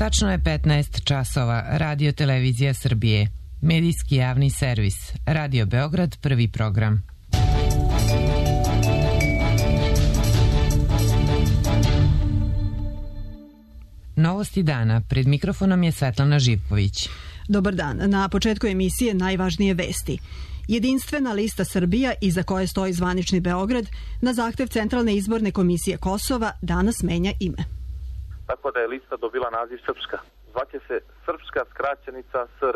Tačno je 15 časova. Radio Televizija Srbije. Medijski javni servis. Radio Beograd, prvi program. Novosti dana. Pred mikrofonom je Svetlana Živković. Dobar dan. Na početku emisije najvažnije vesti. Jedinstvena lista Srbija, iza koje stoji zvanični Beograd, na zahtev Centralne izborne komisije Kosova danas menja ime. Tako da je lista dobila naziv Srpska. Zvaće se Srpska skraćenica SR.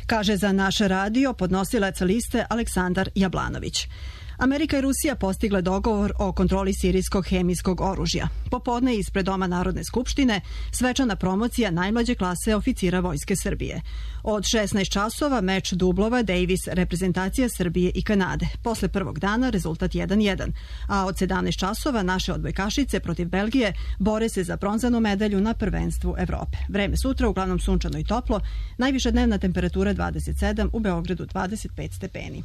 Kaže za naš radio podnosilac liste Aleksandar Jablanović. Amerika i Rusija postigle dogovor o kontroli sirijskog hemijskog oružja. Popodne ispred Doma Narodne skupštine svečana promocija najmlađe klase oficira Vojske Srbije. Od 16 časova meč dublova Davis reprezentacija Srbije i Kanade. Posle prvog dana rezultat 1-1. A od 17 časova naše odbojkašice protiv Belgije bore se za bronzanu medalju na prvenstvu Evrope. Vreme sutra uglavnom sunčano i toplo. Najviša dnevna temperatura 27, u Beogradu 25 stepeni.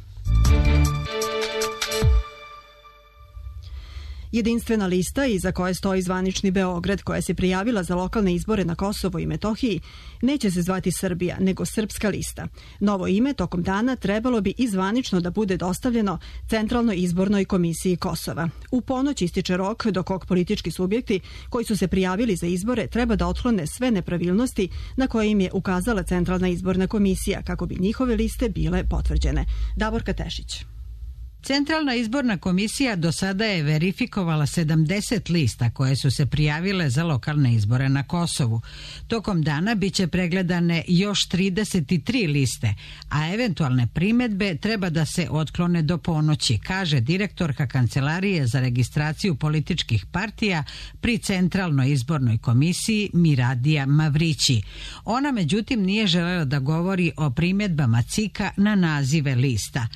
Jedinstvena lista, iza koje stoji zvanični Beograd, koja se prijavila za lokalne izbore na Kosovo i Metohiji, neće se zvati Srbija, nego Srpska lista. Novo ime tokom dana trebalo bi i zvanično da bude dostavljeno Centralnoj izbornoj komisiji Kosova. U ponoć ističe rok do kog politički subjekti koji su se prijavili za izbore treba da otklone sve nepravilnosti na koje im je ukazala Centralna izborna komisija kako bi njihove liste bile potvrđene. Davorka Tešić. Centralna izborna komisija do sada je verifikovala 70 lista koje su se prijavile za lokalne izbore na Kosovu. Tokom dana biće pregledane još 33 liste, a eventualne primedbe treba da se otklone do ponoći, kaže direktorka Kancelarije za registraciju političkih partija pri Centralnoj izbornoj komisiji Miradija Mavrići. Ona međutim nije želela da govori o primedbama CIK-a na nazive lista.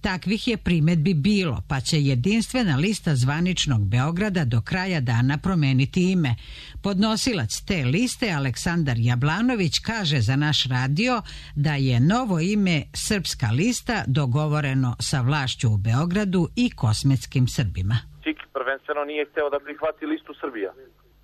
Takvih je primedbi bilo, pa će jedinstvena lista zvaničnog Beograda do kraja dana promeniti ime. Podnosilac te liste, Aleksandar Jablanović, kaže za naš radio da je novo ime Srpska lista dogovoreno sa vlašću u Beogradu i kosmetskim Srbima. CIK prvenstveno nije hteo da prihvati listu Srbija,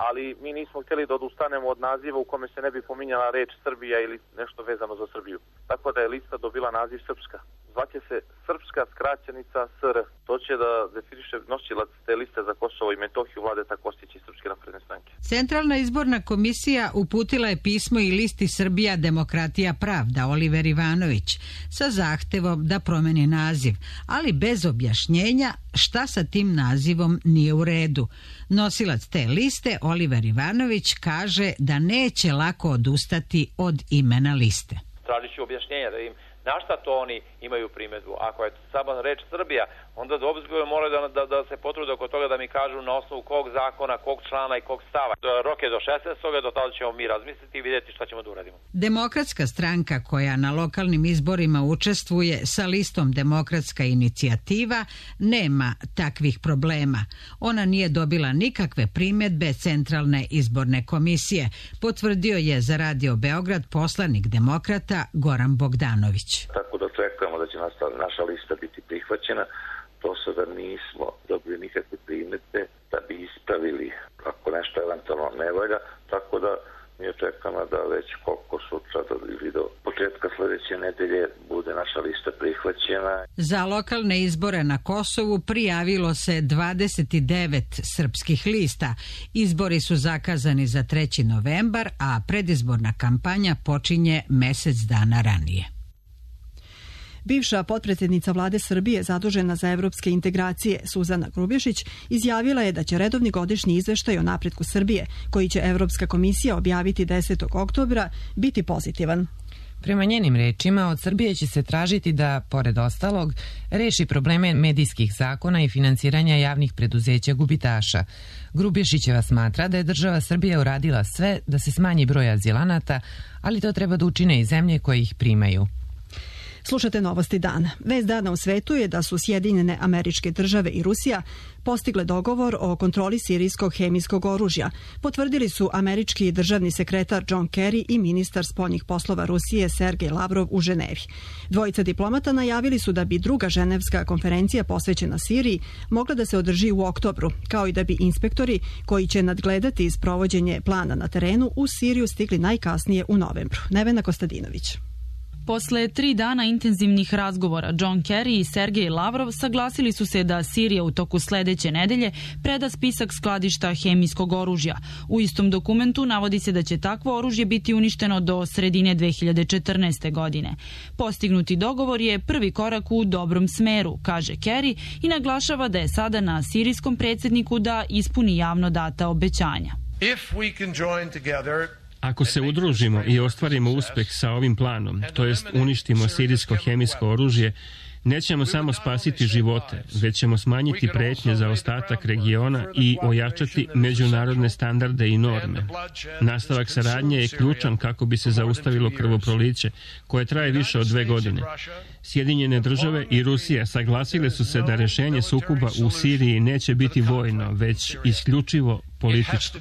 ali mi nismo htjeli da odustanemo od naziva u kome se ne bi pominjala reč Srbija ili nešto vezano za Srbiju. Tako da je lista dobila naziv Srpska. Zvaće se Srpska skraćenica SR. To će da definiše nosilac te liste za Kosovo i Metohiju Vladeta Kostića i Srpske napredne stranke. Centralna izborna komisija uputila je pismo i listi Srbija demokratija pravda Oliver Ivanović sa zahtevom da promeni naziv, ali bez objašnjenja šta sa tim nazivom nije u redu. Nosilac te liste Oliver Ivanović kaže da neće lako odustati od imena liste. Tražit ću objašnjenja da im na šta to oni imaju primjedbu. Ako je samo reč Srbija, onda obzirno moraju da se potrude oko toga da mi kažu na osnovu kog zakona, kog člana i kog stava. Rok je do 16. do tada ćemo mi razmisliti i vidjeti šta ćemo da uradimo. Demokratska stranka koja na lokalnim izborima učestvuje sa listom Demokratska inicijativa nema takvih problema. Ona nije dobila nikakve primjedbe Centralne izborne komisije, potvrdio je za Radio Beograd poslanik demokrata Goran Bogdanović. Tako da očekujemo da će naša lista biti prihvaćena. Do sada nismo dobili nikakve primjedbe da bi ispravili ako nešto eventualno ne valja, tako da mi očekujemo da već koliko sutra ili do početka sljedeće nedelje bude naša lista prihvaćena. Za lokalne izbore na Kosovu prijavilo se 29 srpskih lista. Izbori su zakazani za 3. novembar, a predizborna kampanja počinje mesec dana ranije. Bivša potpredsjednica vlade Srbije zadužena za evropske integracije Suzana Grubješić izjavila je da će redovni godišnji izveštaj o napretku Srbije, koji će Evropska komisija objaviti 10. oktobra, biti pozitivan. Prema njenim rečima, od Srbije će se tražiti da, pored ostalog, reši probleme medijskih zakona i finansiranja javnih preduzeća gubitaša. Grubješićeva smatra da je država Srbija uradila sve da se smanji broj azilanata, ali to treba da učine i zemlje koje ih primaju. Slušate Novosti dana. Vest dana u svetu je da su Sjedinjene Američke Države i Rusija postigle dogovor o kontroli sirijskog hemijskog oružja. Potvrdili su američki državni sekretar John Kerry i ministar spoljnih poslova Rusije Sergej Lavrov u Ženevi. Dvojica diplomata najavili su da bi druga ženevska konferencija posvećena Siriji mogla da se održi u oktobru, kao i da bi inspektori koji će nadgledati sprovođenje plana na terenu u Siriju stigli najkasnije u novembru. Nevena Kostadinović. Posle 3 dana intenzivnih razgovora, John Kerry i Sergej Lavrov saglasili su se da Sirija u toku sledeće nedelje preda spisak skladišta hemijskog oružja. U istom dokumentu navodi se da će takvo oružje biti uništeno do sredine 2014. godine. Postignuti dogovor je prvi korak u dobrom smeru, kaže Kerry i naglašava da je sada na sirijskom predsjedniku da ispuni javno data obećanja. Ako se udružimo i ostvarimo uspeh sa ovim planom, to jest uništimo sirijsko hemijsko oružje, nećemo samo spasiti živote, već ćemo smanjiti pretnje za ostatak regiona i ojačati međunarodne standarde i norme. Nastavak saradnje je ključan kako bi se zaustavilo krvoproliće, koje traje više od 2 godine. Sjedinjene države i Rusija saglasile su se da rešenje sukoba u Siriji neće biti vojno, već isključivo političko.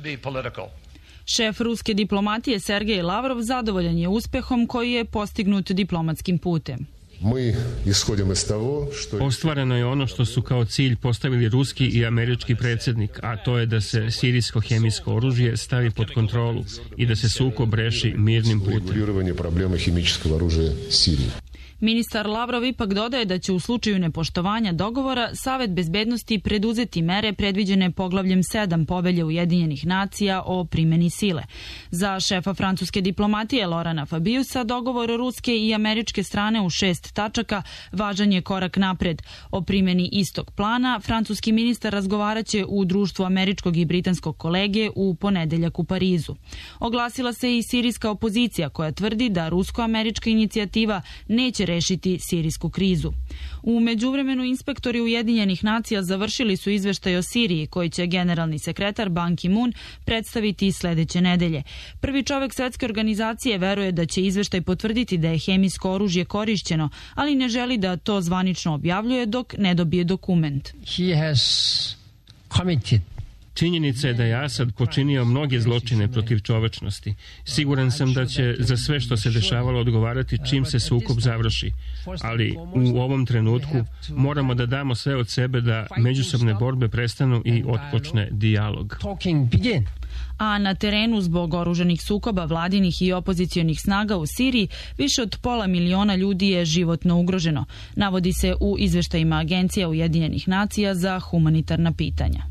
Šef ruske diplomatije Sergej Lavrov zadovoljan je uspehom koji je postignut diplomatskim putem. Ostvareno je ono što su kao cilj postavili ruski i američki predsjednik, a to je da se sirijsko hemijsko oružje stavi pod kontrolu i da se sukob reši mirnim putem. Ministar Lavrov ipak dodaje da će u slučaju nepoštovanja dogovora Savet bezbednosti preduzeti mere predviđene poglavljem 7 Povelje Ujedinjenih nacija o primjeni sile. Za šefa francuske diplomatije Laurenta Fabiusa dogovor ruske i američke strane u 6 tačaka važan je korak napred. O primjeni istog plana francuski ministar razgovaraće u društvu američkog i britanskog kolege u ponedeljak u Parizu. Oglasila se i sirijska opozicija koja tvrdi da rusko-američka inicijativa neće rešiti sirijsku krizu. U međuvremenu inspektori Ujedinjenih nacija završili su izveštaj o Siriji koji će generalni sekretar Ban Ki-moon predstaviti sledeće nedelje. Prvi čovek svetske organizacije veruje da će izveštaj potvrditi da je hemijsko oružje korišćeno, ali ne želi da to zvanično objavljuje dok ne dobije dokument. Činjenica je da je Asad počinio mnoge zločine protiv čovečnosti. Siguran sam da će za sve što se dešavalo odgovarati čim se sukob završi. Ali u ovom trenutku moramo da damo sve od sebe da međusobne borbe prestanu i otpočne dijalog. A na terenu zbog oružanih sukoba vladinih i opozicionih snaga u Siriji više od 500 miliona ljudi je životno ugroženo, navodi se u izveštajima Agencija Ujedinjenih nacija za humanitarna pitanja.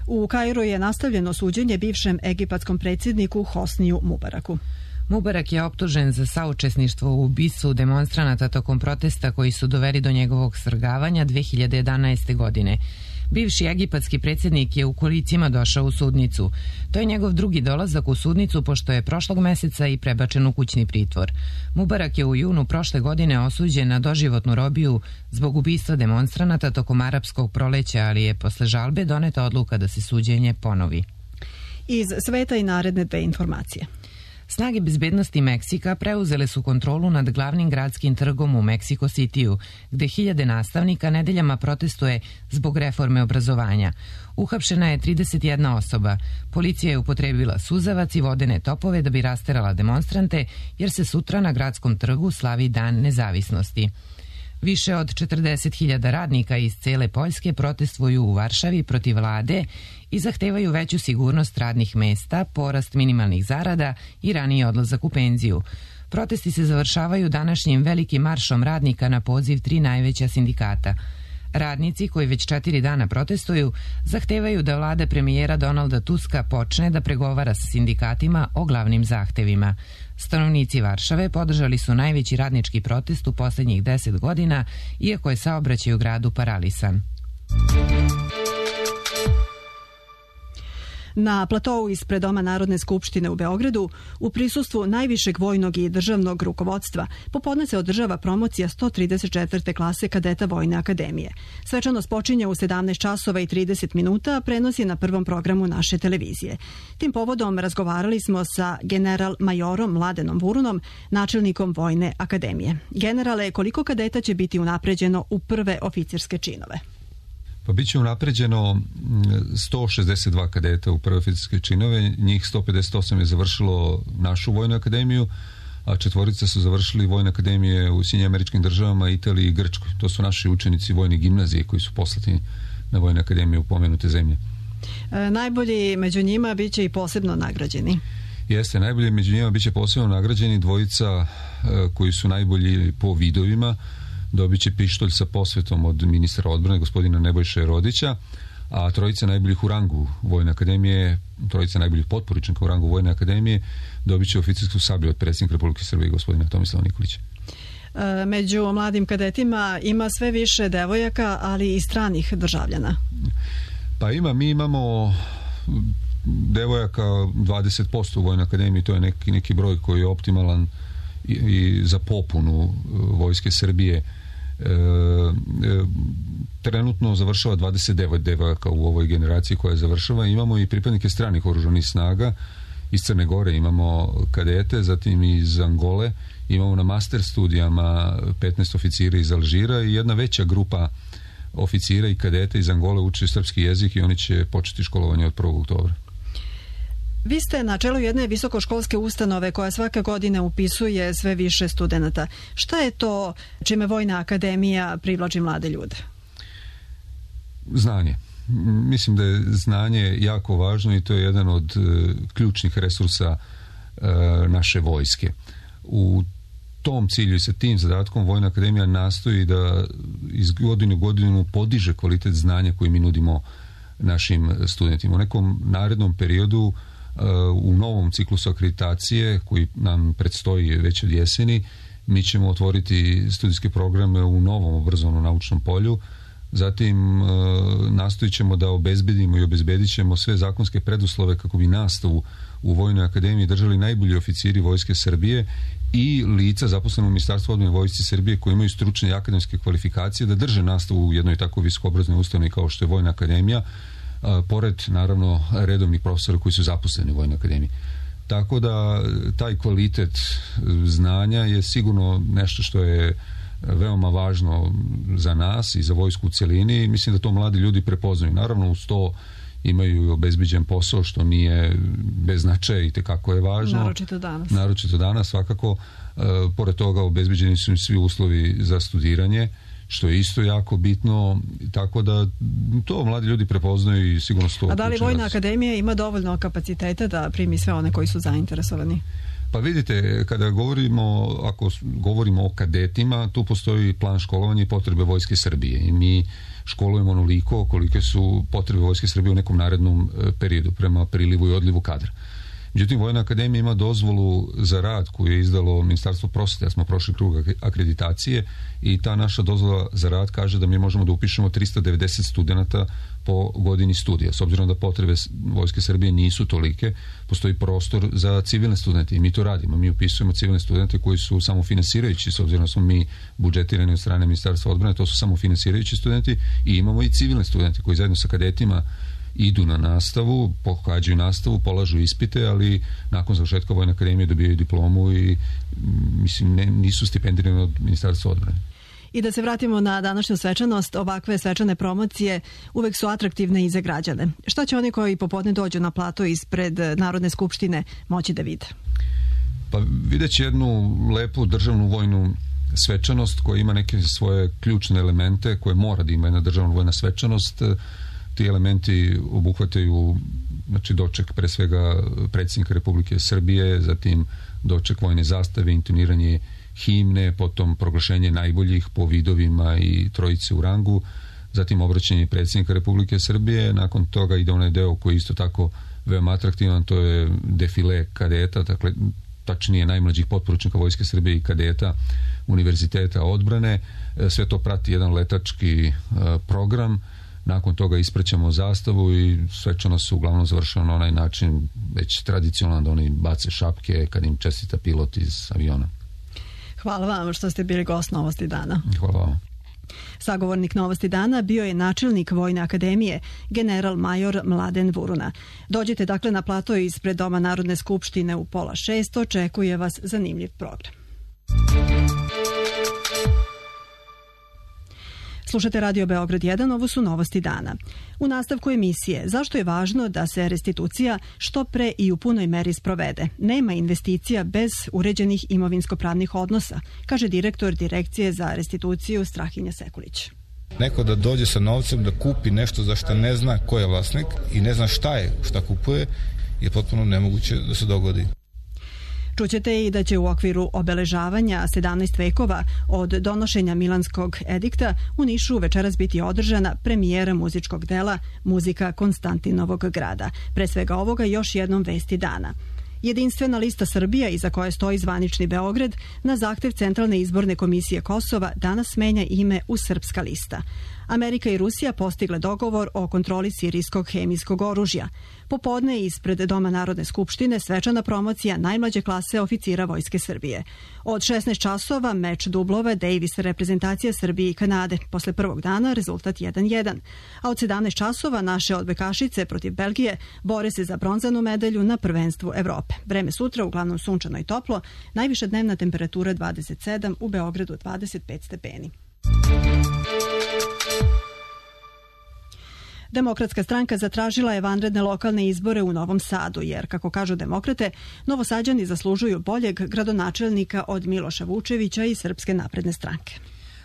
U Kairu je nastavljeno suđenje bivšem egipatskom predsjedniku Hosniju Mubaraku. Mubarak je optužen za saučesništvo u ubistvu demonstranata tokom protesta koji su doveli do njegovog svrgavanja 2011. godine. Bivši egipatski predsjednik je u kolicima došao u sudnicu. To je njegov drugi dolazak u sudnicu pošto je prošlog meseca i prebačen u kućni pritvor. Mubarak je u junu prošle godine osuđen na doživotnu robiju zbog ubistva demonstranata tokom arapskog proleća, ali je posle žalbe doneta odluka da se suđenje ponovi. Iz sveta i naredne 2 informacije. Snage bezbednosti Meksika preuzele su kontrolu nad glavnim gradskim trgom u Meksiko Cityu, gde hiljade nastavnika nedeljama protestuje zbog reforme obrazovanja. Uhapšena je 31 osoba. Policija je upotrebila suzavac i vodene topove da bi rasterala demonstrante, jer se sutra na gradskom trgu slavi Dan nezavisnosti. Više od 40.000 radnika iz cele Poljske protestvuju u Varšavi protiv vlade i zahtevaju veću sigurnost radnih mesta, porast minimalnih zarada i raniji odlazak u penziju. Protesti se završavaju današnjim velikim maršom radnika na poziv 3 najveća sindikata. Radnici koji već 4 dana protestuju zahtevaju da vlada premijera Donalda Tuska počne da pregovara sa sindikatima o glavnim zahtevima. Stanovnici Varšave podržali su najveći radnički protest u poslednjih 10 godina, iako je saobraćaj u gradu paralisan. Na platou ispred Doma Narodne skupštine u Beogradu, u prisustvu najvišeg vojnog i državnog rukovodstva, popodne se održava promocija 134. klase kadeta Vojne akademije. Svečanost počinje u 17 časova i 30 minuta, prenos je na prvom programu naše televizije. Tim povodom razgovarali smo sa general majorom Mladenom Vurunom, načelnikom Vojne akademije. Generale, koliko kadeta će biti unapređeno u prve oficirske činove? Pa bit će unapređeno 162 kadeta u prve oficirske činove, njih 158 je završilo našu Vojnu akademiju, a 4 su završili Vojne akademije u Sjedinjenim Američkim Državama, Italiji i Grčkoj. To su naši učenici vojne gimnazije koji su poslati na Vojne akademije u pomenute zemlje. Najbolji među njima bit će i posebno nagrađeni. Jeste, najbolji među njima bit će posebno nagrađeni dvojica koji su najbolji po vidovima. Dobit će pištolj sa posvetom od ministra odbrane, gospodina Nebojše Rodića, a trojica najboljih u rangu Vojne akademije, trojica najboljih potporučnika u rangu Vojne akademije, dobit će oficirsku sablju od predsjednika Republike Srbije, gospodina Tomislava Nikolića. Među mladim kadetima ima sve više devojaka, ali i stranih državljana. Pa mi imamo devojaka 20% u Vojnoj akademiji, to je neki broj koji je optimalan i za popunu Vojske Srbije. Trenutno završava 29 devojaka u ovoj generaciji koja završava. Imamo i pripadnike stranih oružanih snaga. Iz Crne Gore imamo kadete, zatim iz Angole. Imamo na master studijama 15 oficira iz Alžira i jedna veća grupa oficira i kadeta iz Angole uče srpski jezik i oni će početi školovanje od 1. oktobra. Vi ste na čelu jedne visokoškolske ustanove koja svake godine upisuje sve više studenata. Šta je to čime Vojna akademija privlači mlade ljude? Znanje. Mislim da je znanje jako važno i to je jedan od ključnih resursa naše vojske. U tom cilju i sa tim zadatkom Vojna akademija nastoji da iz godine u godinu podiže kvalitet znanja koji mi nudimo našim studentima. U nekom narednom periodu u novom ciklusu akreditacije koji nam predstoji već od jeseni, mi ćemo otvoriti studijske programe u novom obrazovnom naučnom polju. Zatim nastojit ćemo da obezbedimo i obezbedit ćemo sve zakonske preduslove kako bi nastavu u Vojnoj akademiji držali najbolji oficiri Vojske Srbije i lica zaposlena u Ministarstvu odbrane Vojske Srbije koji imaju stručne i akademske kvalifikacije da drže nastavu u jednoj tako visokoobrazovnoj ustanovi kao što je Vojna akademija, pored naravno redovnih profesora koji su zaposleni u Vojnoj akademiji. Tako da taj kvalitet znanja je sigurno nešto što je veoma važno za nas i za vojsku u cjelini i mislim da to mladi ljudi prepoznaju. Naravno uz to imaju obezbeđen posao što nije bez značaja i tekako je važno. Naročito danas svakako. Pored toga obezbeđeni su im svi uslovi za studiranje, što je isto jako bitno, tako da to mladi ljudi prepoznaju i sigurno su to. A da li Vojna akademija ima dovoljno kapaciteta da primi sve one koji su zainteresovani? Pa vidite, kada ako govorimo o kadetima, tu postoji plan školovanja i potrebe Vojske Srbije i mi školujemo onoliko kolike su potrebe Vojske Srbije u nekom narednom periodu prema prilivu i odlivu kadra. Međutim, Vojna akademija ima dozvolu za rad koju je izdalo Ministarstvo prosvete, ja smo prošli krug akreditacije i ta naša dozvola za rad kaže da mi možemo da upišemo 390 studenata po godini studija. S obzirom da potrebe Vojske Srbije nisu tolike, postoji prostor za civilne studente i mi to radimo. Mi upisujemo civilne studente koji su samofinansirajući, s obzirom da smo mi budžetirani od strane Ministarstva odbrane, to su samofinansirajući studenti i imamo i civilne studente koji zajedno sa kadetima idu na nastavu, pohađaju nastavu, polažu ispite, ali nakon završetka Vojne akademije dobijaju diplomu i mislim nisu stipendirani od Ministarstva odbrane. I da se vratimo na današnju svečanost, ovakve svečane promocije uvek su atraktivne i za građane. Šta će oni koji popodne dođu na plato ispred Narodne skupštine moći da vide? Pa vidjet će jednu lepu državnu vojnu svečanost koja ima neke svoje ključne elemente koje mora da ima jedna državna vojna svečanost. Ti elementi obuhvataju doček pre svega predsjednika Republike Srbije, zatim doček vojne zastave, intoniranje himne, potom proglašenje najboljih po vidovima i trojice u rangu, zatim obraćanje predsjednika Republike Srbije, nakon toga ide onaj deo koji je isto tako veoma atraktivan, to je defile kadeta, dakle tačnije najmlađih potporučnika Vojske Srbije i kadeta Univerziteta odbrane. Sve to prati jedan letački program nakon toga ispraćamo zastavu i svečano su uglavnom završeno na onaj način već tradicionalno da oni bace šapke kad im čestita pilot iz aviona. Hvala vam što ste bili gost Novosti dana. Hvala vam. Sagovornik Novosti dana bio je načelnik Vojne akademije, general major Mladen Vuruna. Dođite dakle na plato ispred Doma Narodne skupštine u 5:30, očekuje vas zanimljiv program. Slušate Radio Beograd 1, ovo su Novosti dana. U nastavku emisije, zašto je važno da se restitucija što pre i u punoj meri sprovede? Nema investicija bez uređenih imovinsko-pravnih odnosa, kaže direktor Direkcije za restituciju Strahinja Sekulić. Neko da dođe sa novcem da kupi nešto za što ne zna ko je vlasnik i ne zna šta kupuje, je potpuno nemoguće da se dogodi. Čućete i da će u okviru obeležavanja 17 vekova od donošenja Milanskog edikta u Nišu večeras biti održana premijera muzičkog dela Muzika Konstantinovog grada. Pre svega ovoga još jednom vesti dana. Jedinstvena lista Srbija, iza koje stoji zvanični Beograd, na zahtev Centralne izborne komisije Kosova danas menja ime u Srpska lista. Amerika i Rusija postigle dogovor o kontroli sirijskog hemijskog oružja. Popodne ispred Doma Narodne skupštine svečana promocija najmlađe klase oficira Vojske Srbije. Od 16 časova meč dublova Davis reprezentacija Srbije i Kanade. Posle prvog dana rezultat 1:1. A od 17 časova naše odbojkašice protiv Belgije bore se za bronzanu medalju na prvenstvu Evrope. Vreme sutra uglavnom sunčano i toplo, najviša dnevna temperatura 27, u Beogradu 25 stepeni. Demokratska stranka zatražila je vanredne lokalne izbore u Novom Sadu, jer, kako kažu demokrate, Novosađani zaslužuju boljeg gradonačelnika od Miloša Vučevića i Srpske napredne stranke.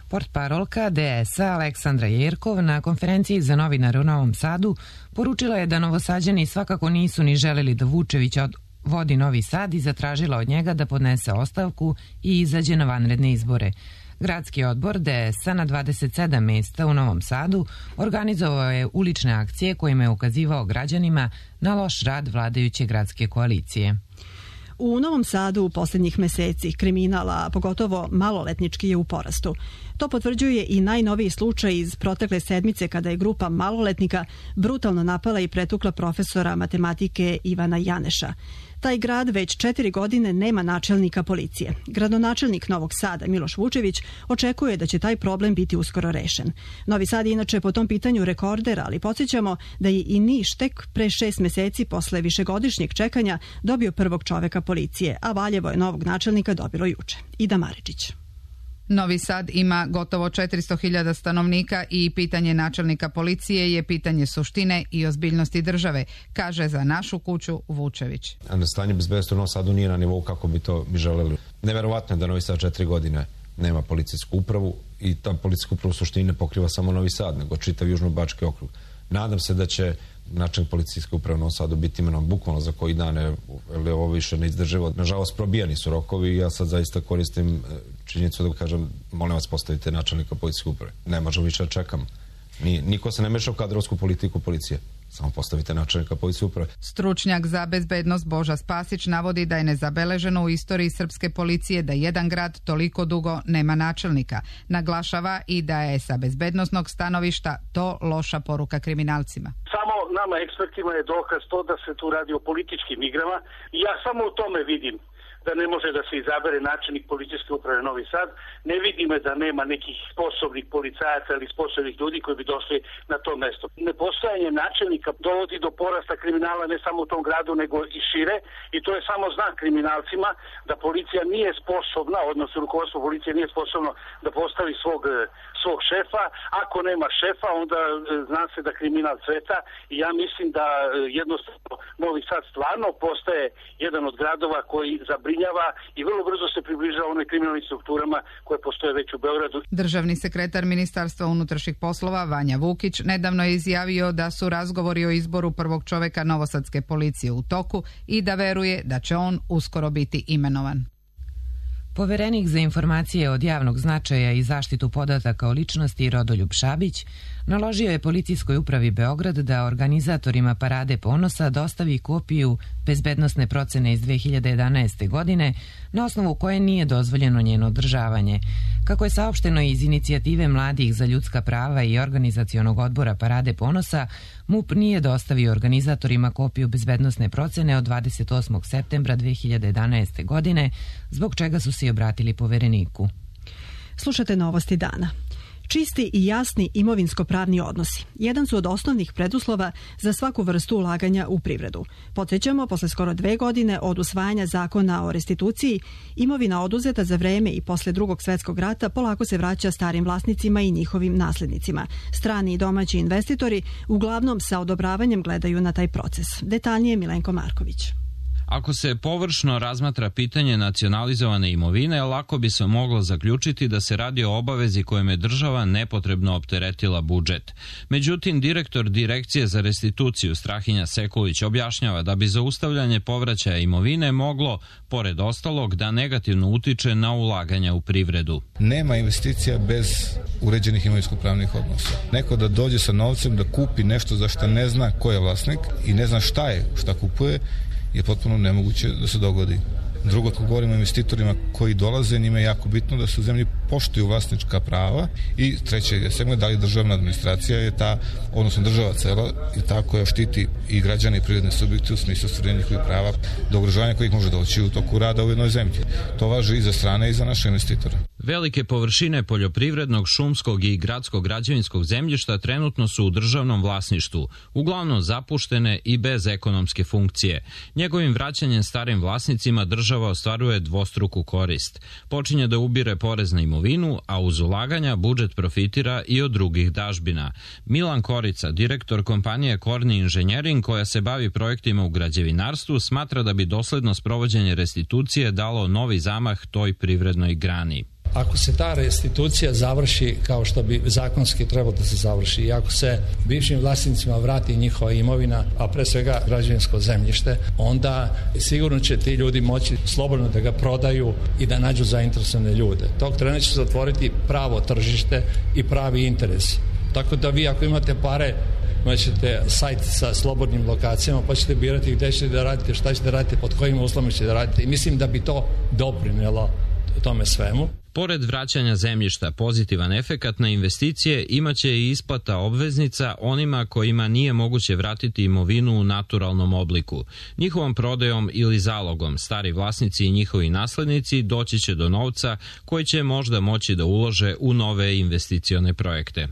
Portparolka DS-a Aleksandra Jerkov na konferenciji za novinare u Novom Sadu poručila je da Novosađani svakako nisu ni želeli da Vučević vodi Novi Sad i zatražila od njega da podnese ostavku i izađe na vanredne izbore. Gradski odbor DS-a na 27 mesta u Novom Sadu organizovao je ulične akcije kojima je ukazivao građanima na loš rad vladajuće gradske koalicije. U Novom Sadu u posljednjih meseci kriminala, pogotovo maloletnički, je u porastu. To potvrđuje i najnoviji slučaj iz protekle sedmice kada je grupa maloletnika brutalno napala i pretukla profesora matematike Ivana Janeša. Taj grad već 4 godine nema načelnika policije. Gradonačelnik Novog Sada Miloš Vučević očekuje da će taj problem biti uskoro rešen. Novi Sad je inače po tom pitanju rekorder, ali podsjećamo da je i Niš tek pre 6 meseci posle višegodišnjeg čekanja dobio prvog čoveka policije, a Valjevo je novog načelnika dobilo juče. Ida Maričić. Novi Sad ima gotovo 400.000 stanovnika i pitanje načelnika policije je pitanje suštine i ozbiljnosti države, kaže za našu kuću Vučević. Stanje bezbednosti u Novom Sadu nije na nivou kako bi to mi želeli. Neverovatno je da Novi Sad 4 godine nema policijsku upravu i ta policijska uprava u suštini ne pokriva samo Novi Sad, nego čitav Južnobački okrug. Nadam se da će načelnik policijske uprave u Novom Sadu biti imenom bukvalno za koji dan, jer ovo više ne izdrživo. Nažalost, probijani su rokovi i ja sad zaista koristim činjenicu da kažem, molim vas postavite načelnika policijske uprave. Ne možemo više da čekam. Niko se ne meša u kadrovsku politiku policije. Samo postavite načelnika policijske uprave. Stručnjak za bezbednost Boža Spasić navodi da je nezabeleženo u istoriji srpske policije da jedan grad toliko dugo nema načelnika. Naglašava i da je sa bezbednosnog stanovišta to loša poruka kriminalcima. Samo nama ekspertima je dokaz to da se tu radi o političkim igrama i ja samo u tome vidim da ne može da se izabere načelnik policijske uprave Novi Sad. Ne vidimo da nema nekih sposobnih policajaca ili sposobnih ljudi koji bi došli na to mesto. Nepostojanje načelnika dovodi do porasta kriminala ne samo u tom gradu nego i šire i to je samo znak kriminalcima da policija nije sposobna, odnosno rukovodstvo policije nije sposobno da postavi svog šefa. Ako nema šefa, onda zna se da kriminal cveta i ja mislim da jednostavno Novi Sad stvarno postaje jedan od gradova koji zabrinjava i vrlo brzo se približava onoj kriminalnim strukturama koje postoje već u Beogradu. Državni sekretar Ministarstva unutrašnjih poslova Vanja Vukić nedavno je izjavio da su razgovori o izboru prvog čoveka novosadske policije u toku i da veruje da će on uskoro biti imenovan. Poverenik za informacije od javnog značaja i zaštitu podataka o ličnosti Rodoljub Šabić naložio je policijskoj upravi Beograd da organizatorima Parade ponosa dostavi kopiju bezbednosne procene iz 2011. godine, na osnovu koje nije dozvoljeno njeno održavanje. Kako je saopšteno iz inicijative Mladih za ljudska prava i organizacionog odbora Parade ponosa, MUP nije dostavio organizatorima kopiju bezbednosne procene od 28. septembra 2011. godine, zbog čega su se obratili Povereniku. Slušate novosti dana. Čisti i jasni imovinsko-pravni odnosi jedan su od osnovnih preduslova za svaku vrstu ulaganja u privredu. Podsjećamo, posle skoro 2 godine od usvajanja zakona o restituciji, imovina oduzeta za vreme i posle Drugog svjetskog rata polako se vraća starim vlasnicima i njihovim naslednicima. Strani i domaći investitori uglavnom sa odobravanjem gledaju na taj proces. Detaljnije Milenko Marković. Ako se površno razmatra pitanje nacionalizovane imovine, lako bi se moglo zaključiti da se radi o obavezi kojom je država nepotrebno opteretila budžet. Međutim, direktor Direkcije za restituciju Strahinja Sekulić objašnjava da bi zaustavljanje povraćaja imovine moglo, pored ostalog, da negativno utiče na ulaganja u privredu. Nema investicija bez uređenih imovinsko-pravnih odnosa. Neko da dođe sa novcem da kupi nešto za što ne zna ko je vlasnik i ne zna šta kupuje, je potpuno nemoguće da se dogodi. Drugo, ako govorimo o investitorima koji dolaze, njima je jako bitno da se u zemlji poštuju vlasnička prava. I treće je segment, da li državna administracija je ta, odnosno država cela, je ta koja štiti i građane i privredne subjekte u smislu ostvarenja njihovih prava do ugrožavanja kojih može doći u toku rada u jednoj zemlji. To važi i za strane i za naše investitore. Velike površine poljoprivrednog, šumskog i gradskog građevinskog zemljišta trenutno su u državnom vlasništvu, uglavnom zapuštene i bez ekonomske funkcije. Njegovim vraćanjem starim vlasnicima država ostvaruje dvostruku korist. Počinje da ubire porez na imovinu, a uz ulaganja budžet profitira i od drugih dažbina. Milan Korica, direktor kompanije Korni Inženjering, koja se bavi projektima u građevinarstvu, smatra da bi dosledno sprovođenje restitucije dalo novi zamah toj privrednoj grani. Ako se ta restitucija završi kao što bi zakonski trebalo da se završi i ako se bivšim vlasnicima vrati njihova imovina, a pre svega građevinsko zemljište, onda sigurno će ti ljudi moći slobodno da ga prodaju i da nađu zainteresovane ljude. Tog trena će se otvoriti pravo tržište i pravi interes. Tako da vi ako imate pare, imaćete sajt sa slobodnim lokacijama, pa ćete birati gde ćete da radite, šta ćete da radite, pod kojim uslovima ćete da radite. I mislim da bi to doprinelo tome svemu. Pored vraćanja zemljišta, pozitivan efekat na investicije imaće i isplata obveznica onima kojima nije moguće vratiti imovinu u naturalnom obliku. Njihovom prodajom ili zalogom stari vlasnici i njihovi naslednici doći će do novca koji će možda moći da ulože u nove investicione projekte.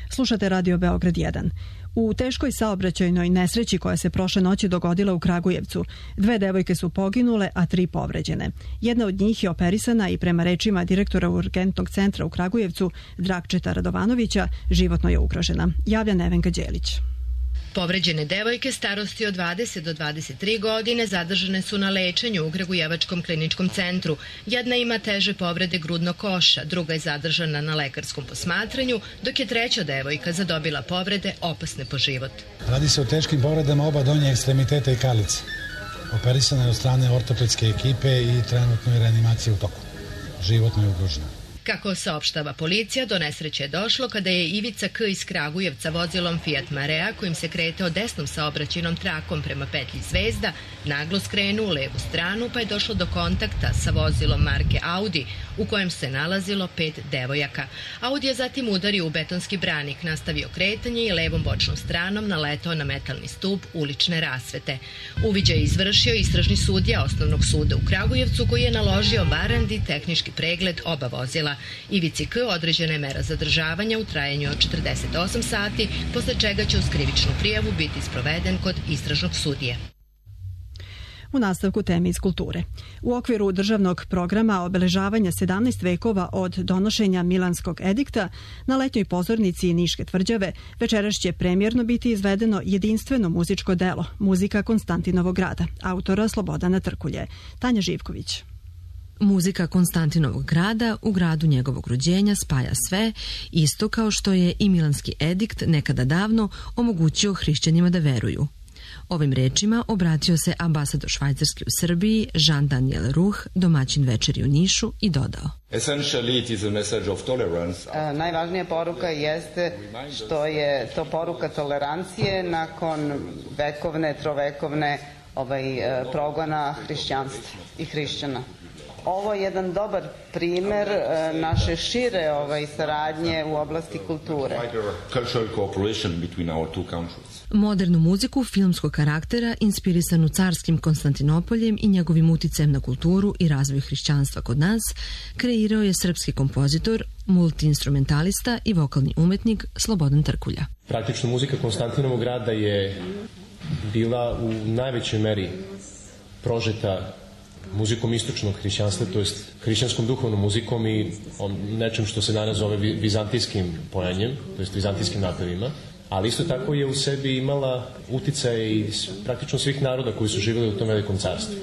Slušate Radio Beograd 1. U teškoj saobraćajnoj nesreći koja se prošle noći dogodila u Kragujevcu, 2 devojke su poginule, a 3 povređene. Jedna od njih je operisana i prema rečima direktora urgentnog centra u Kragujevcu, Dragčeta Radovanovića, životno je ugrožena. Javlja Nevenka Đelić. Povređene devojke starosti od 20 do 23 godine zadržane su na lečenju u Kragujevačkom kliničkom centru. Jedna ima teže povrede grudnog koša, druga je zadržana na lekarskom posmatranju, dok je treća devojka zadobila povrede opasne po život. Radi se o teškim povredama oba donje ekstremiteta i kalice. Operisana je od strane ortopedske ekipe i trenutno je reanimacija u toku. Životno je ugrožena. Kako saopštava policija, do nesreće je došlo kada je Ivica K. iz Kragujevca vozilom Fiat Marea, kojim se kretao desnom saobraćajnom trakom prema petlji Zvezda, naglo skrenuo u levu stranu, pa je došlo do kontakta sa vozilom marke Audi, u kojem se nalazilo 5 devojaka. Audi je zatim udario u betonski branik, nastavio kretanje i levom bočnom stranom naletao na metalni stub ulične rasvete. Uviđaj je izvršio istražni sudija Osnovnog suda u Kragujevcu, koji je naložio varandi tehnički pregled oba vozila. Ivici K. određena je mera zadržavanja u trajanju od 48 sati, posle čega će uz krivičnu prijavu biti sproveden kod istražnog sudije. U nastavku teme iz kulture. U okviru državnog programa obeležavanja 17 vekova od donošenja Milanskog edikta na letnjoj pozornici Niške tvrđave večeras će premijerno biti izvedeno jedinstveno muzičko delo Muzika Konstantinovog grada, autora Slobodana Trkulje. Tanja Živković. Muzika Konstantinovog grada u gradu njegovog rođenja spaja sve, isto kao što je i Milanski edikt nekada davno omogućio hrišćanima da veruju. Ovim rečima obratio se ambasador Švajcarske u Srbiji Jean-Daniel Ruh, domaćin večeri u Nišu, i dodao: Najvažnija poruka jeste što je to poruka tolerancije nakon trovekovne progona hrišćanstva i hrišćana. Ovo je jedan dobar primer naše šire saradnje u oblasti kulture. Modernu muziku filmskog karaktera, inspirisanu carskim Konstantinopoljem i njegovim uticajem na kulturu i razvoj hrišćanstva kod nas, kreirao je srpski kompozitor, multiinstrumentalista i vokalni umetnik Slobodan Trkulja. Praktično muzika Konstantinovog grada je bila u najvećoj meri prožeta muzikom istočnog hrišćanstva, to jest hrišćanskom duhovnom muzikom i nečem što se danas zove vizantijskim pojanjem, to jest vizantijskim napevima, ali isto tako je u sebi imala uticaj iz praktično svih naroda koji su živjeli u tom velikom carstvu.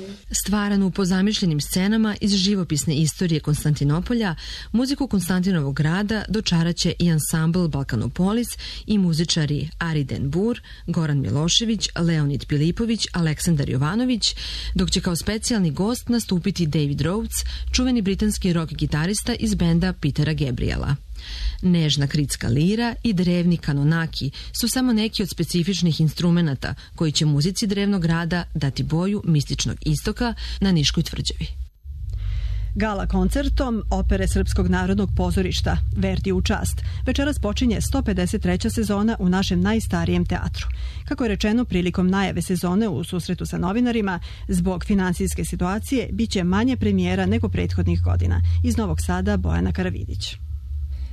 Stvaranu po zamišljenim scenama iz živopisne istorije Konstantinopolja, muziku Konstantinovog grada dočaraće i ansambl Balkanopolis i muzičari Ariden Bur, Goran Milošević, Leonid Pilipović, Aleksandar Jovanović, dok će kao specijalni gost nastupiti David Rhodes, čuveni britanski rock gitarista iz benda Petera Gabriela. Nežna kritska lira i drevni kanonaki su samo neki od specifičnih instrumenata koji će muzici drevnog grada dati boju mističnog istoka na Niškoj tvrđavi. Gala koncertom Opere Srpskog narodnog pozorišta Verdi u čast večeras počinje 153. sezona u našem najstarijem teatru. Kako je rečeno prilikom najave sezone u susretu sa novinarima, zbog finansijske situacije biće manje premijera nego prethodnih godina. Iz Novog Sada Bojana Karavidić.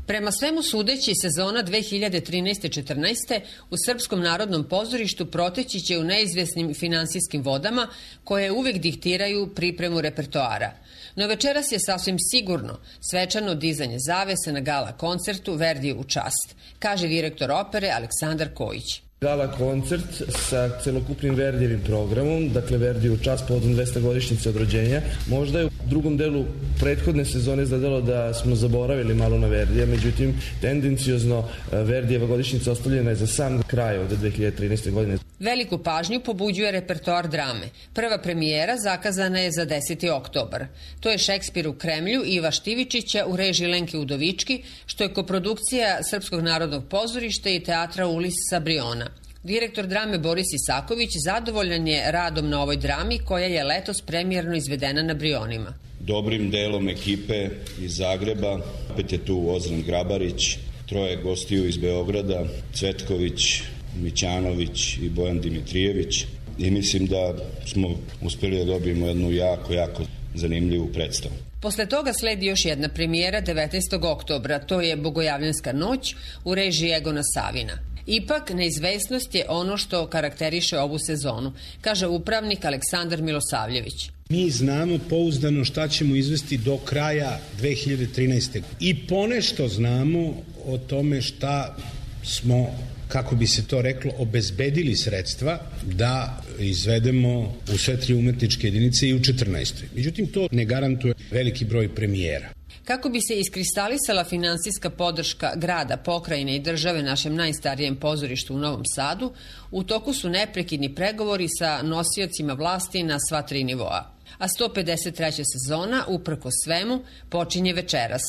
Prema svemu sudeći, sezona 2013-14 u Srpskom narodnom pozorištu proteći će u neizvesnim finansijskim vodama koje uvijek diktiraju pripremu repertoara. No večeras je sasvim sigurno svečano dizanje zavese na gala koncertu Verdi u čast, kaže direktor opere Aleksandar Kojić. Gala koncert sa celokupnim Verdijevim programom, dakle Verdi u čast povodom 200 godišnjice od rođenja. Možda je u drugom delu prethodne sezone izgledalo da smo zaboravili malo na Verdija, međutim tendenciozno Verdijeva godišnjica ostavljena je za sam kraj od 2013. godine. Veliku pažnju pobuđuje repertoar drame. Prva premijera zakazana je za 10. oktobar. To je Šekspir u Kremlju Iva Štivičića u režiji Lenke Udovički, što je koprodukcija Srpskog narodnog pozorišta i teatra Ulis sa Briona. Direktor drame Boris Isaković zadovoljan je radom na ovoj drami koja je letos premijerno izvedena na Brionima. Dobrim delom ekipe iz Zagreba, opet je tu Ozren Grabarić, troje gostiju iz Beograda, Cvetković, Mićanović i Bojan Dimitrijević, i mislim da smo uspjeli da dobijemo jednu jako zanimljivu predstavu. Posle toga sledi još jedna premijera 19. oktobra, to je Bogojavljanska noć u režiji Egona Savina. Ipak, neizvesnost je ono što karakteriše ovu sezonu, kaže upravnik Aleksandar Milosavljević. Mi znamo pouzdano šta ćemo izvesti do kraja 2013. I ponešto znamo o tome šta smo, kako bi se to reklo, obezbedili sredstva da izvedemo u sve tri umetničke jedinice i u 14. Međutim, to ne garantuje veliki broj premijera. Kako bi se iskristalisala finansijska podrška grada, pokrajine i države našem najstarijem pozorištu u Novom Sadu, u toku su neprekidni pregovori sa nosiocima vlasti na sva tri nivoa. A 153. sezona, uprkos svemu, počinje večeras.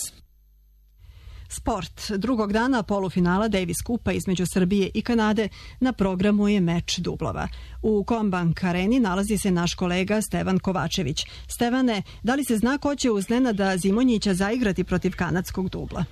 Sport. Drugog dana polufinala Davis Kupa između Srbije i Kanade na programu je meč dublova. U Combank areni nalazi se naš kolega Stevan Kovačević. Stevane, da li se zna ko će uz Nenada Zimonjića zaigrati protiv kanadskog dubla?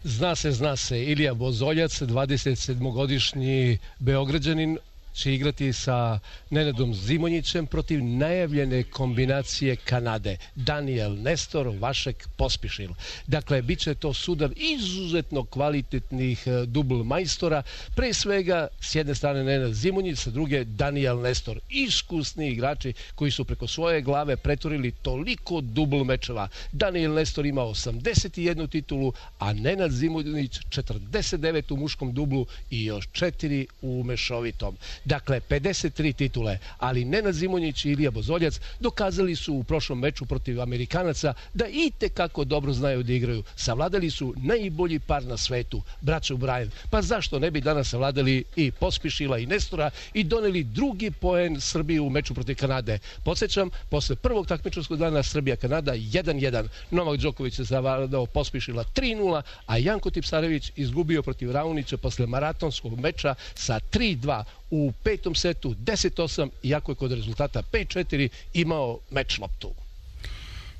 Zna se. Ilija Vozoljac, 27-godišnji Beograđanin, će igrati sa Nenadom Zimonjićem protiv najavljene kombinacije Kanade. Daniel Nestor, Vašek Pospišil. Dakle, bit će to sudar izuzetno kvalitetnih dubl majstora. Pre svega, s jedne strane Nenad Zimonjić, sa druge Daniel Nestor. Iskusni igrači koji su preko svoje glave preturili toliko dubl mečeva. Daniel Nestor ima 81 titulu, a Nenad Zimonjić 49 u muškom dublu i još 4 u mešovitom. Dakle, 53 titule, ali Nenad Zimonjić i Ilija Bozoljac dokazali su u prošlom meču protiv Amerikanaca da itekako dobro znaju da igraju. Savladali su najbolji par na svetu, braću Bryan. Pa zašto ne bi danas savladali i Pospišila i Nestora i doneli drugi poen Srbiji u meču protiv Kanade? Podsjećam, posle prvog takmičarskog dana Srbija-Kanada 1-1. Novak Đoković je zavladao Pospišila 3-0, a Janko Tipsarević izgubio protiv Raonića posle maratonskog meča sa 3-2 u petom setu 10-8, iako je kod rezultata 5-4 imao meč loptu.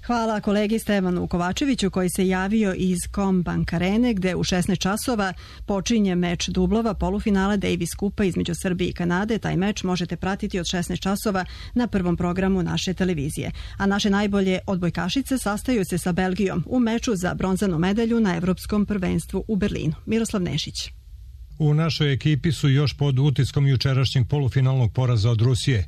Hvala kolegi Stevanu Kovačeviću koji se javio iz Combank Arene gde u 16 časova počinje meč dublova polufinala Davis Kupa između Srbije i Kanade. Taj meč možete pratiti od 16 časova na prvom programu naše televizije. A naše najbolje odbojkašice sastaju se sa Belgijom u meču za bronzanu medalju na Evropskom prvenstvu u Berlinu. Miroslav Nešić. U našoj ekipi su još pod utiskom jučerašnjeg polufinalnog poraza od Rusije.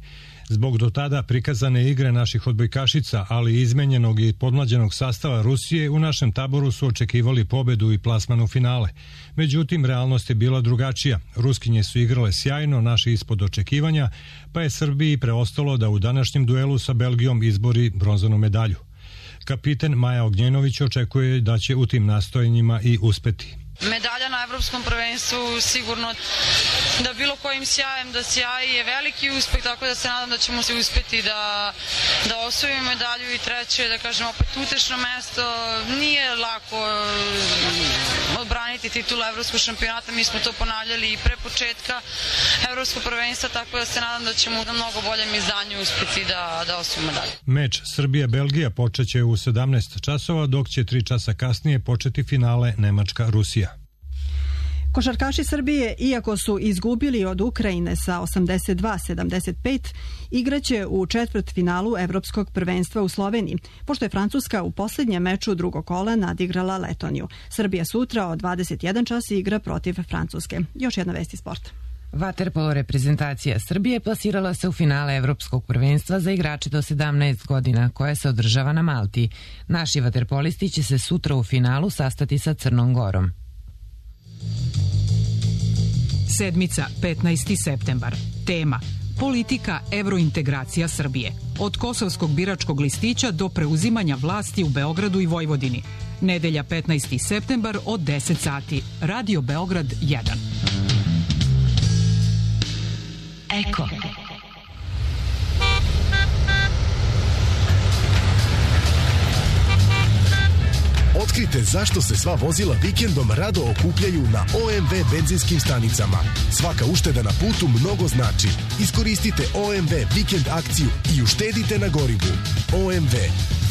Zbog do tada prikazane igre naših odbojkašica, ali i izmenjenog i podmlađenog sastava Rusije, u našem taboru su očekivali pobedu i plasman u finale. Međutim, realnost je bila drugačija. Ruskinje su igrale sjajno, naši ispod očekivanja, pa je Srbiji preostalo da u današnjem duelu sa Belgijom izbori bronzanu medalju. Kapiten Maja Ognjenović očekuje da će u tim nastojanjima i uspeti. Medalja na Evropskom prvenstvu sigurno da bilo kojim sjajem da sjaji je veliki uspeh, tako da se nadam da ćemo se uspeti da osvojimo medalju i treće, da kažem opet utešno mesto. Nije lako odbraniti titulu Evropskog šampionata, mi smo to ponavljali i pre početka Evropskog prvenstva, tako da se nadam da ćemo na mnogo boljem izdanju uspeti da osvojimo medalju. Meč Srbija-Belgija počeće u 17 časova, dok će 3 časa kasnije početi finale Nemačka-Rusija. Košarkaši Srbije, iako su izgubili od Ukrajine sa 82-75, igraće u četvrtfinalu Evropskog prvenstva u Sloveniji, pošto je Francuska u posljednjem meču drugog kola nadigrala Letoniju. Srbija sutra od 21 čas igra protiv Francuske. Još jedna vest iz sporta. Vaterpolo reprezentacija Srbije plasirala se u finale Evropskog prvenstva za igrače do 17 godina, koje se održava na Malti. Naši vaterpolisti će se sutra u finalu sastati sa Crnom Gorom. Sedmica, 15. septembar. Tema: politika evrointegracija Srbije. Od kosovskog biračkog listića do preuzimanja vlasti u Beogradu i Vojvodini. Nedelja, 15. septembar od 10 sati. Radio Beograd 1. Eko. Otkrite zašto se sva vozila vikendom rado okupljaju na OMV benzinskim stanicama. Svaka ušteda na putu mnogo znači. Iskoristite OMV vikend akciju i uštedite na gorivu. OMV,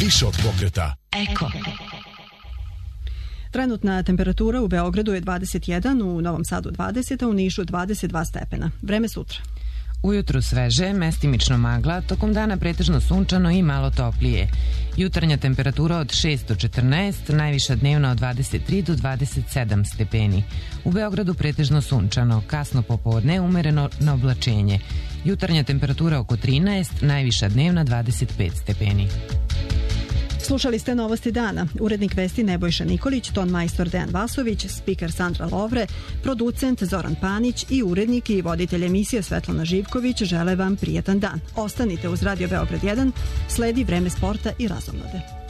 više od pokreta. Eko. Trenutna temperatura u Beogradu je 21, u Novom Sadu 20, a u Nišu 22 stepena. Vreme sutra. Ujutru sveže, mestimično magla, tokom dana pretežno sunčano i malo toplije. Jutarnja temperatura od 6 do 14, najviša dnevna od 23 do 27 stepeni. U Beogradu pretežno sunčano, kasno popodne umereno na oblačenje. Jutarnja temperatura oko 13, najviša dnevna 25 stepeni. Slušali ste novosti dana. Urednik vesti Nebojša Nikolić, ton majstor Dejan Vasović, spiker Sandra Lovre, producent Zoran Panić i urednik i voditelj emisije Svetlana Živković žele vam prijetan dan. Ostanite uz Radio Beograd 1, sledi Vreme sporta i razonode.